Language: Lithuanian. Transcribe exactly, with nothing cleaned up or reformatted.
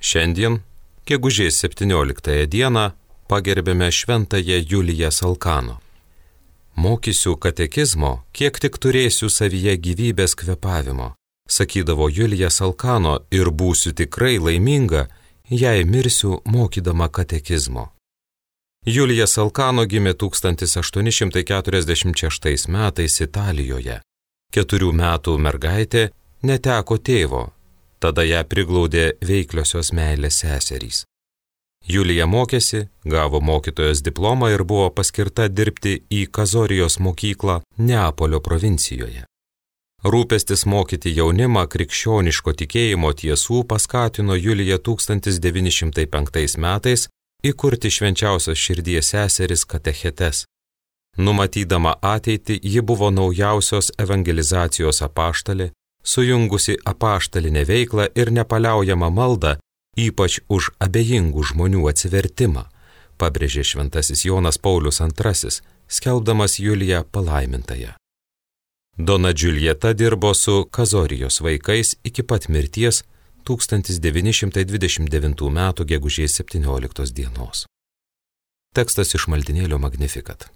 Šiandien, gegužės septynioliktąją dieną, pagerbėme šventąją Juliją Salkano. Mokysiu katekizmo, kiek tik turėsiu savyje gyvybės kvėpavimo, sakydavo Julija Salkano, ir būsiu tikrai laiminga, jei mirsiu mokydama katekizmo. Julija Salkano gimė tūkstantis aštuoni šimtai keturiasdešimt šeštais metais Italijoje. Keturių metų mergaitė neteko tėvo, tada ją priglaudė veikliosios meilės seserys. Julija mokėsi, gavo mokytojos diplomą ir buvo paskirta dirbti į Kazorijos mokyklą Neapolio provincijoje. Rūpestis mokyti jaunimą krikščioniško tikėjimo tiesų paskatino Juliją tūkstantis devyni šimtai penktais metais įkurti švenčiausios širdies seseris katechetes. Numatydama ateitį, ji buvo naujausios evangelizacijos apaštalė, sujungusi apaštalinę veiklą ir nepaliaujamą maldą, ypač už abejingų žmonių atsivertimą, pabrėžė šventasis Jonas Paulius antrasis, skelbdamas Juliją palaimintąją. Dona Džiuljeta dirbo su Kazorijos vaikais iki pat mirties tūkstantis devyni šimtai dvidešimt devintų metų gegužės septynioliktos dienos. Tekstas iš maldynėlio Magnificat.